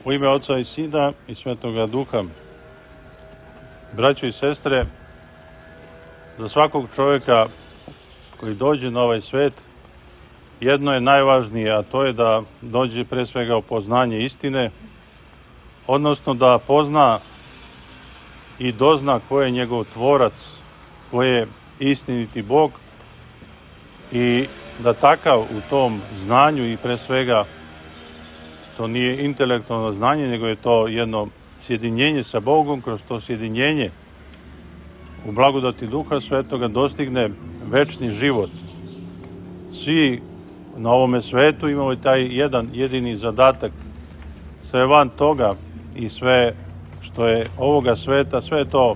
U ime Oca i Sina i Svetoga Duha. Braćo i sestre, za svakog čovjeka koji dođe na ovaj svet, jedno je najvažnije, a to je da dođe pre svega u poznanje istine, odnosno da pozna i dozna ko je njegov tvorac, ko je istiniti Bog, i da takav u tom znanju, i pre svega to nije intelektualno znanje, nego je to jedno sjedinjenje sa Bogom, kroz to sjedinjenje u blagodati Duha Svetoga dostigne večni život. Svi na ovome svetu imamo taj jedan jedini zadatak. Sve van toga i sve što je ovoga sveta, sve to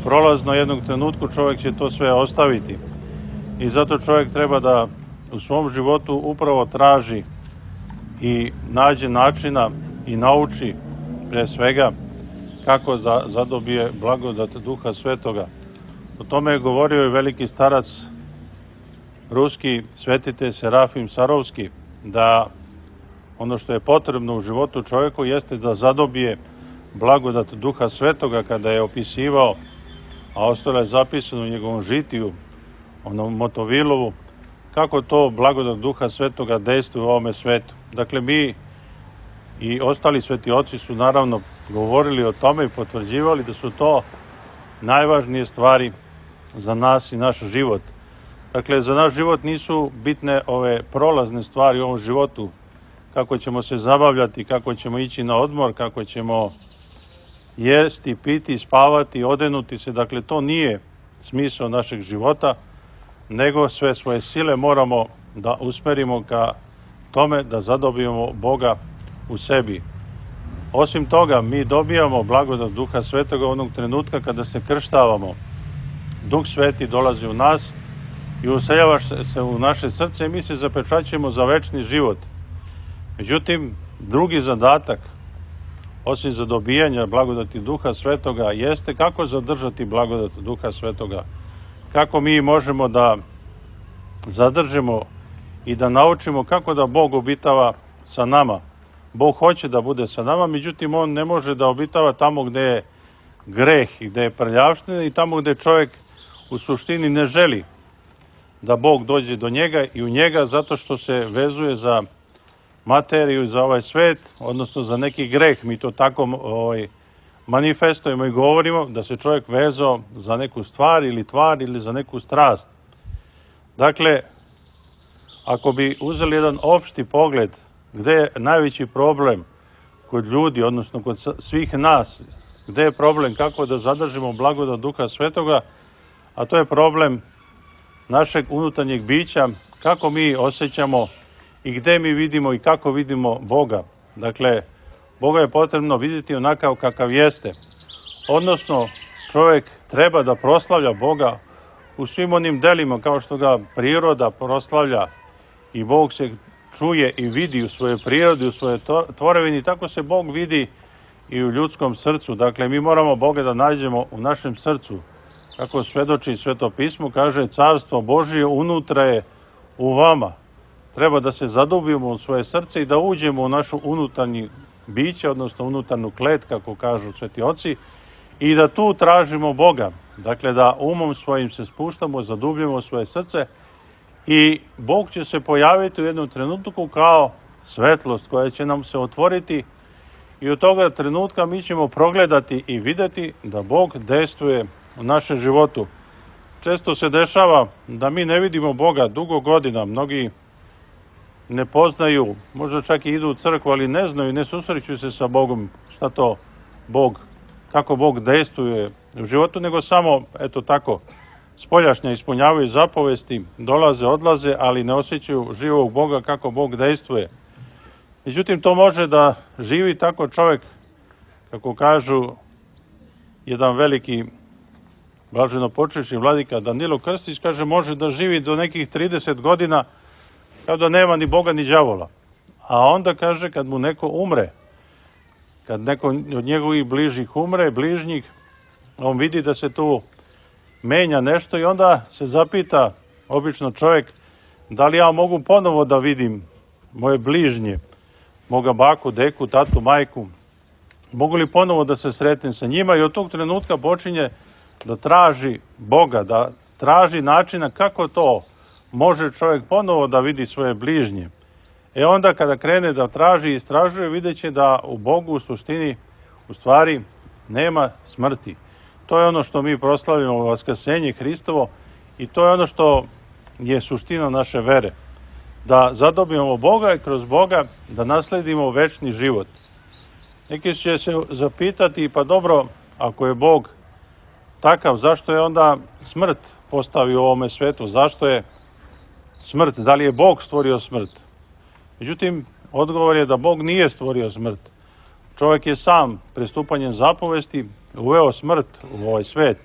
prolazno, jednog trenutku čovjek će to sve ostaviti. I zato čovjek treba da u svom životu upravo traži i nađe načina i nauči pre svega kako da zadobije blagodat Duha Svetoga. O tome je govorio i veliki starac ruski svetitelj Serafim Sarovski, da ono što je potrebno u životu čovjeku jeste da zadobije blagodat Duha Svetoga, kada je opisivao, a ostalo je zapisano u njegovom žitiju, onom Motovilovu, kako to blagodat Duha Svetoga dejstvuje u ovome svetu. Dakle, mi i ostali sveti oci su naravno govorili o tome i potvrđivali da su to najvažnije stvari za nas i naš život. Dakle, za naš život nisu bitne ove prolazne stvari u ovom životu, kako ćemo se zabavljati, kako ćemo ići na odmor, kako ćemo jesti, piti, spavati, odenuti se. Dakle, to nije smisao našeg života, nego sve svoje sile moramo da usmerimo ka tome da zadobijemo Boga u sebi. Osim toga, mi dobijamo blagodat Duha Svetoga onog trenutka kada se krštavamo. Duh Sveti dolazi u nas i useljava se u naše srce i mi se zapečaćujemo za večni život. Međutim, drugi zadatak, osim za dobijanje blagodati Duha Svetoga, jeste kako zadržati blagodat Duha Svetoga. Kako mi možemo da zadržimo i da naučimo kako da Bog obitava sa nama. Bog hoće da bude sa nama, međutim On ne može da obitava tamo gde je greh i gde je prljavština i tamo gde čovjek u suštini ne želi da Bog dođe do njega i u njega, zato što se vezuje za materiju, za ovaj svet, odnosno za neki greh. Mi to tako manifestujemo i govorimo, da se čovjek vezao za neku stvar ili za neku strast. Dakle, ako bi uzeli jedan opšti pogled gde je najveći problem kod ljudi, odnosno kod svih nas, gde je problem kako da zadržimo blagodat Duha Svetoga, a to je problem našeg unutarnjeg bića, kako mi osjećamo i gde mi vidimo i kako vidimo Boga. Dakle, Boga je potrebno vidjeti onakav kakav jeste. Odnosno, čovjek treba da proslavlja Boga u svim onim delima, kao što ga priroda proslavlja i Bog se čuje i vidi u svojoj prirodi, u svojoj tvorevini, tako se Bog vidi i u ljudskom srcu. Dakle, mi moramo Boga da nađemo u našem srcu. Kako svedoči Sveto pismo, kaže, Carstvo Božije unutra je u vama. Treba da se zadubimo u svoje srce i da uđemo u našu unutarnji biće, odnosno unutarnju klet, kako kažu sveti oci, i da tu tražimo Boga. Dakle, da umom svojim se spuštamo, zadubljamo svoje srce i Bog će se pojaviti u jednom trenutku kao svetlost koja će nam se otvoriti i od toga trenutka mi ćemo progledati i videti da Bog dejstvuje u našem životu. Često se dešava da mi ne vidimo Boga dugo godina, mnogi ne poznaju, možda čak i idu u crkvu, ali ne znaju, ne susreću se sa Bogom, šta to Bog, kako Bog dejstvuje u životu, nego samo, eto tako, spoljašnja ispunjavaju zapovesti, dolaze, odlaze, ali ne osjećaju živog Boga, kako Bog dejstvuje. Međutim, to može da živi tako čovjek, kako kažu jedan veliki blaženopočivši vladika Danilo Krstić, kaže, može da živi do nekih 30 godina kao da nema ni Boga ni đavola. A onda kaže, kad mu neko umre, kad neko od njegovih bližih umre, bližnjih, on vidi da se tu menja nešto i onda se zapita obično čovjek, da li ja mogu ponovo da vidim moje bližnje, moga baku, deku, tatu, majku, mogu li ponovo da se sretnem sa njima, i od tog trenutka počinje da traži Boga, da traži načina kako to može čovjek ponovo da vidi svoje bližnje. Onda kada krene da traži i istražuje, vidjet će da u Bogu u suštini, u stvari, nema smrti. To je ono što mi proslavimo, vaskrsenje Hristovo, i to je ono što je suština naše vere. Da zadobijemo Boga i kroz Boga da nasledimo večni život. Neki će se zapitati, pa dobro, ako je Bog takav, zašto je onda smrt postavio u ovome svetu? Zašto je smrt? Da li je Bog stvorio smrt? Međutim, odgovor je da Bog nije stvorio smrt. Čovjek je sam pristupanjem zapovesti uveo smrt u ovaj svet.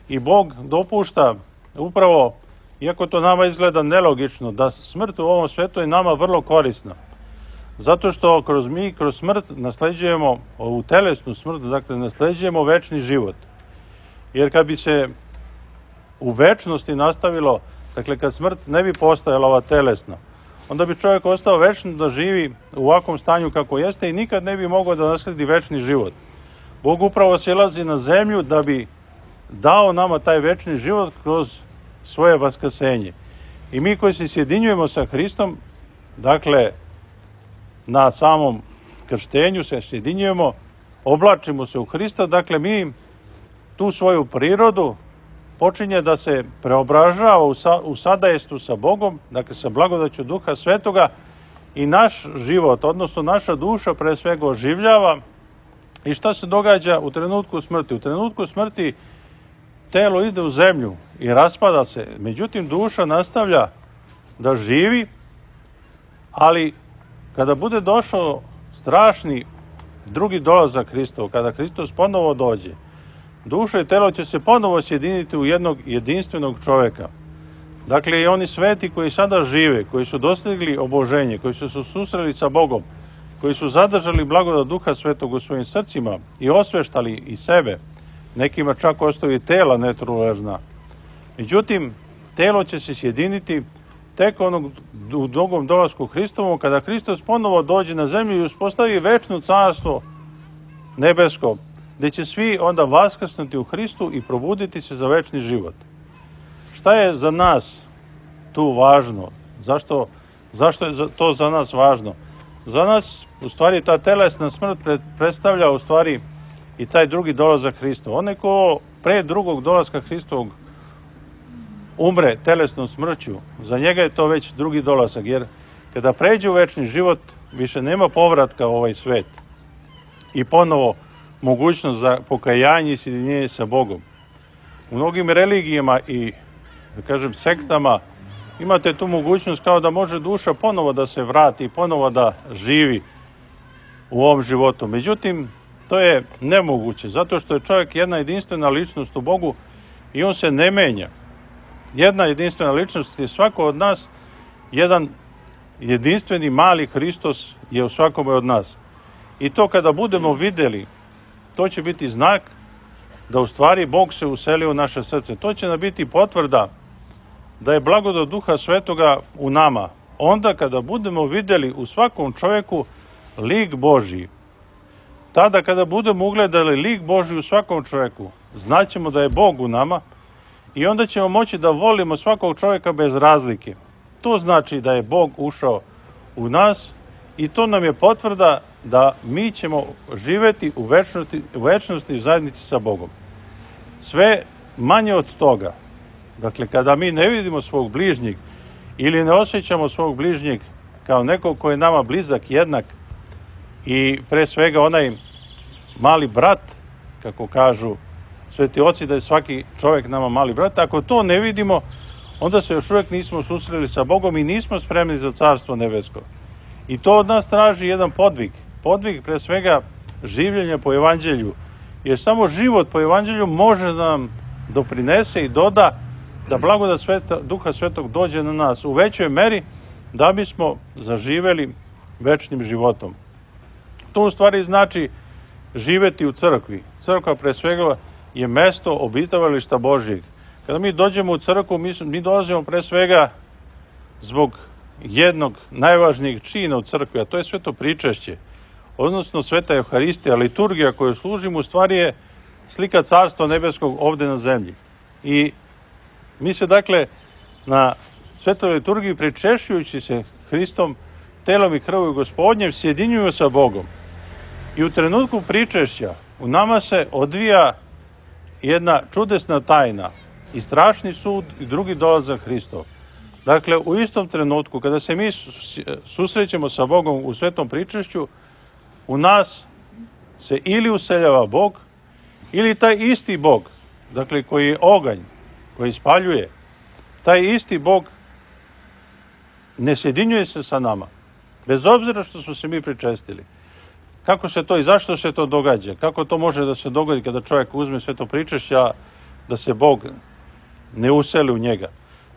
I Bog dopušta upravo, iako to nama izgleda nelogično, da smrt u ovom svetu je nama vrlo korisna. Zato što kroz smrt nasleđujemo ovu telesnu smrt, dakle nasleđujemo večni život. Jer kad bi se u večnosti nastavilo, dakle kad smrt ne bi postajala ova telesna, onda bi čovjek ostao večno da živi u ovakvom stanju kako jeste i nikad ne bi mogao da nasledi večni život. Bog upravo silazi na zemlju da bi dao nama taj večni život kroz svoje vaskrsenje. I mi koji se sjedinjujemo sa Hristom, dakle na samom krštenju se sjedinjujemo, oblačimo se u Hrista, dakle mi tu svoju prirodu počinje da se preobražava u sadajestvu sa Bogom, dakle sa blagodaću Duha Svetoga, i naš život, odnosno naša duša pre svega oživljava. I šta se događa u trenutku smrti? U trenutku smrti telo ide u zemlju i raspada se, međutim duša nastavlja da živi, ali kada bude došao strašni drugi dolazak Hristov, kada Hristos ponovo dođe, duša i telo će se ponovo sjediniti u jednog jedinstvenog čovjeka. Dakle, i oni sveti koji sada žive, koji su dostigli oboženje, koji su se susreli sa Bogom, koji su zadržali blagodat Duha Svetog u svojim srcima i osveštali i sebe, nekima čak ostaju i tela netruležna. Međutim, telo će se sjediniti tek u drugom dolasku Hristovom, kada Hristos ponovo dođe na zemlju i uspostavi večno carstvo nebesko, gdje će svi onda vaskrsnuti u Hristu i probuditi se za večni život. Šta je za nas tu važno? Zašto je to za nas važno? Za nas, u stvari, ta telesna smrt predstavlja, u stvari, i taj drugi dolazak Hristov. Onaj ko pre drugog dolaska Hristovog umre telesnom smrću, za njega je to već drugi dolazak, jer kada pređe u večni život, više nema povratka u ovaj svet i ponovo mogućnost za pokajanje i sjedinjenje sa Bogom. U mnogim religijama i, da kažem, sektama imate tu mogućnost kao da može duša ponovo da se vrati i ponovo da živi u ovom životu. Međutim, to je nemoguće, zato što je čovjek jedna jedinstvena ličnost u Bogu i on se ne menja. Jedna jedinstvena ličnost je svako od nas, jedan jedinstveni mali Hristos je u svakome od nas. I to kada budemo vidjeli, to će biti znak da u stvari Bog se uselio u naše srce. To će nam biti potvrda da je blagodat Duha Svetoga u nama. Onda kada budemo vidjeli u svakom čovjeku lik Božji, tada kada budemo ugledali lik Božji u svakom čovjeku, znaćemo da je Bog u nama i onda ćemo moći da volimo svakog čovjeka bez razlike. To znači da je Bog ušao u nas i to nam je potvrda da mi ćemo živjeti u večnosti i zajednici sa Bogom. Sve manje od toga, dakle kada mi ne vidimo svog bližnjeg ili ne osjećamo svog bližnjeg kao nekog koji je nama blizak, jednak i pre svega onaj mali brat, kako kažu sveti oci, da je svaki čovjek nama mali brat, ako to ne vidimo, onda se još uvijek nismo susreli sa Bogom i nismo spremni za Carstvo nebesko. I to od nas traži jedan podvig. Podvig pre svega življenja po evanđelju. Jer samo život po evanđelju može da nam doprinese i doda da blagodat Duha Svetog dođe na nas u većoj meri da bismo zaživeli večnim životom. To u stvari znači živeti u crkvi. Crkva pre svega je mesto obitavališta Božjeg. Kada mi dođemo u crkvu, mi dolazimo pre svega zbog jednog najvažnijeg čina u crkvi, a to je sveto pričešće, odnosno sveta Euharistija, liturgija koju služimo, u stvari je slika Carstva nebeskog ovde na zemlji. I mi se dakle na svetoj liturgiji, pričešćujući se Hristom, telom i krvlju Gospodnjem, sjedinjuju sa Bogom. I u trenutku pričešća u nama se odvija jedna čudesna tajna i strašni sud i drugi dolazak Hristov. Dakle, u istom trenutku kada se mi susrećemo sa Bogom u svetom pričešću, u nas se ili useljava Bog, ili taj isti Bog, dakle koji je oganj, koji spaljuje, taj isti Bog ne sjedinjuje se sa nama, bez obzira što smo se mi pričestili. Kako se to i zašto se to događa? Kako to može da se dogodi kada čovjek uzme sveto pričešće, a da se Bog ne useli u njega?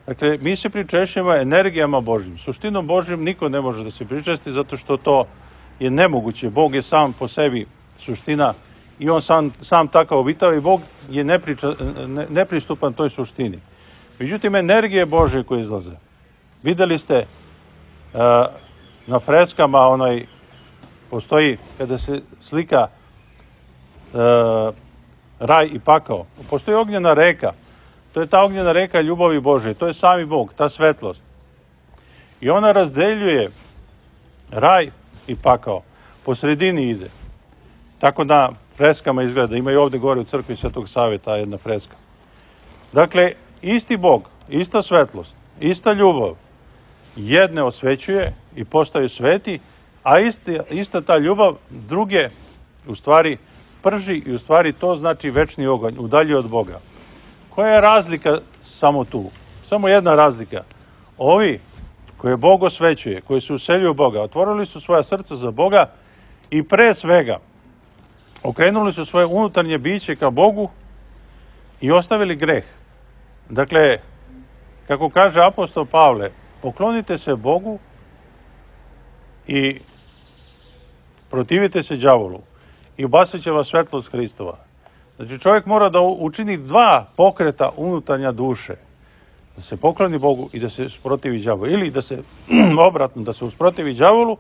Dakle, mi se pričešćujemo energijama Božjim. Suštinom Božjim niko ne može da se pričesti, zato što to je nemoguće. Bog je sam po sebi suština i on sam takav obitava i Bog je nepristupan toj suštini. Međutim, energije Božje koje izlaze. Videli ste na freskama, postoji kada se slika raj i pakao. Postoji ognjena reka. To je ta ognjena reka ljubavi Božje. To je sami Bog, ta svetlost. I ona razdeljuje raj i pakao. Po sredini ide. Tako da freskama izgleda. Ima i ovde gore u crkvi Svetog Save ta jedna freska. Dakle, isti Bog, ista svetlost, ista ljubav jedne osvećuje i postaju sveti, a ista ta ljubav druge u stvari prži i u stvari to znači večni oganj, udalji od Boga. Koja je razlika samo tu? Samo jedna razlika. Ovi koje Bog osvećuje, koji se useljuju Boga, otvorili su svoja srca za Boga i pre svega okrenuli su svoje unutarnje biće ka Bogu i ostavili greh. Dakle, kako kaže apostol Pavle, poklonite se Bogu i protivite se đavolu i ubasit će vas svetlost Hristova. Znači, čovjek mora da učini dva pokreta unutarnja duše. Da se pokloni Bogu i da se usprotivi đavolu. Ili da se, obratno, da se usprotivi đavolu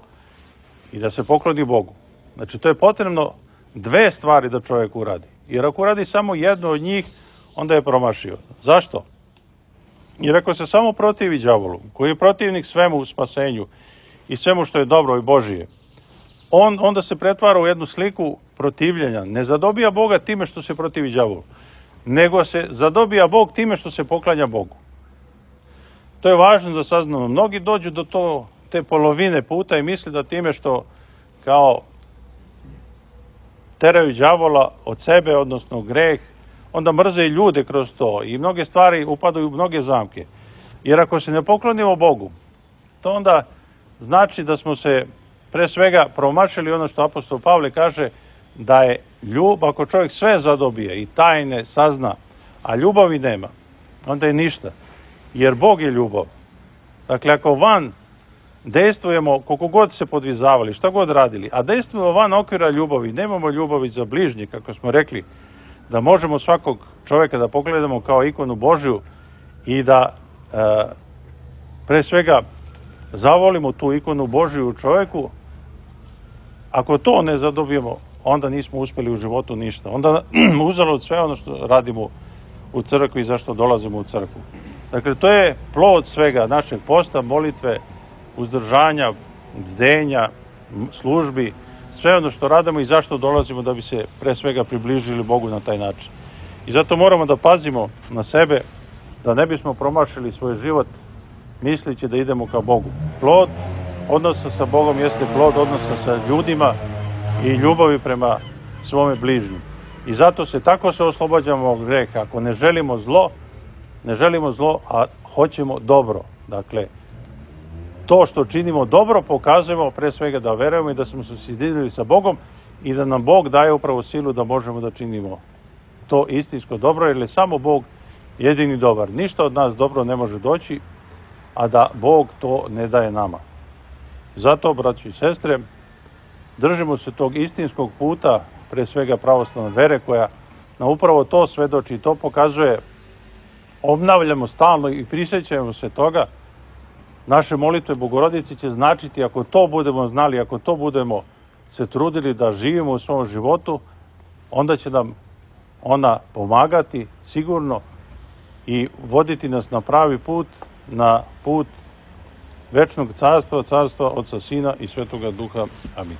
i da se pokloni Bogu. Znači, to je potrebno dve stvari da čovjek uradi. Jer ako uradi samo jednu od njih, onda je promašio. Zašto? Jer ako se samo protivi đavolu, koji je protivnik svemu u spasenju i svemu što je dobro i Božije, onda se pretvara u jednu sliku protivljenja. Ne zadobija Boga time što se protivi đavolu, nego se zadobija Bog time što se poklanja Bogu. To je važno da saznamo. Mnogi dođu do te polovine puta i misle da time što kao teraju đavola od sebe, odnosno greh, onda mrze i ljude kroz to i mnoge stvari upadaju u mnoge zamke. Jer ako se ne poklonimo Bogu, to onda znači da smo se pre svega promašili ono što apostol Pavle kaže, da je ljubav, ako čovjek sve zadobije i tajne sazna, a ljubavi nema, onda je ništa. Jer Bog je ljubav. Dakle, ako van dejstvujemo, koliko god se podvizavali, šta god radili, a dejstvujemo van okvira ljubavi, nemamo ljubavi za bližnje, kako smo rekli, da možemo svakog čovjeka da pogledamo kao ikonu Božju i da pre svega zavolimo tu ikonu Božju u čovjeku, ako to ne zadobijemo, onda nismo uspjeli u životu ništa. Onda uzalud sve ono što radimo u crkvi i zašto dolazimo u crkvu. Dakle, to je plod svega našeg posta, molitve, uzdržanja, bdenja, službi, sve ono što radimo i zašto dolazimo da bi se pre svega približili Bogu na taj način. I zato moramo da pazimo na sebe, da ne bismo promašili svoj život mislići da idemo ka Bogu. Plod odnosa sa Bogom jeste plod odnosa sa ljudima i ljubavi prema svome bližnju. I zato tako se oslobađamo od greha. Ako ne želimo zlo, a hoćemo dobro. Dakle, to što činimo dobro pokazujemo pre svega da verujemo i da smo se sjedinili sa Bogom i da nam Bog daje upravo silu da možemo da činimo to istinsko dobro, jer je samo Bog jedini dobar. Ništa od nas dobro ne može doći, a da Bog to ne daje nama. Zato, braći i sestre, držimo se tog istinskog puta, pre svega pravoslavne vere, koja nam upravo to svedoči i to pokazuje. Obnavljamo stalno i prisjećamo se toga naše molitve Bogorodici će značiti, ako to budemo znali, ako to budemo se trudili da živimo u svom životu, onda će nam ona pomagati sigurno i voditi nas na pravi put, na put večnog carstva, carstva Oca, Sina i Svetoga Duha. Amin.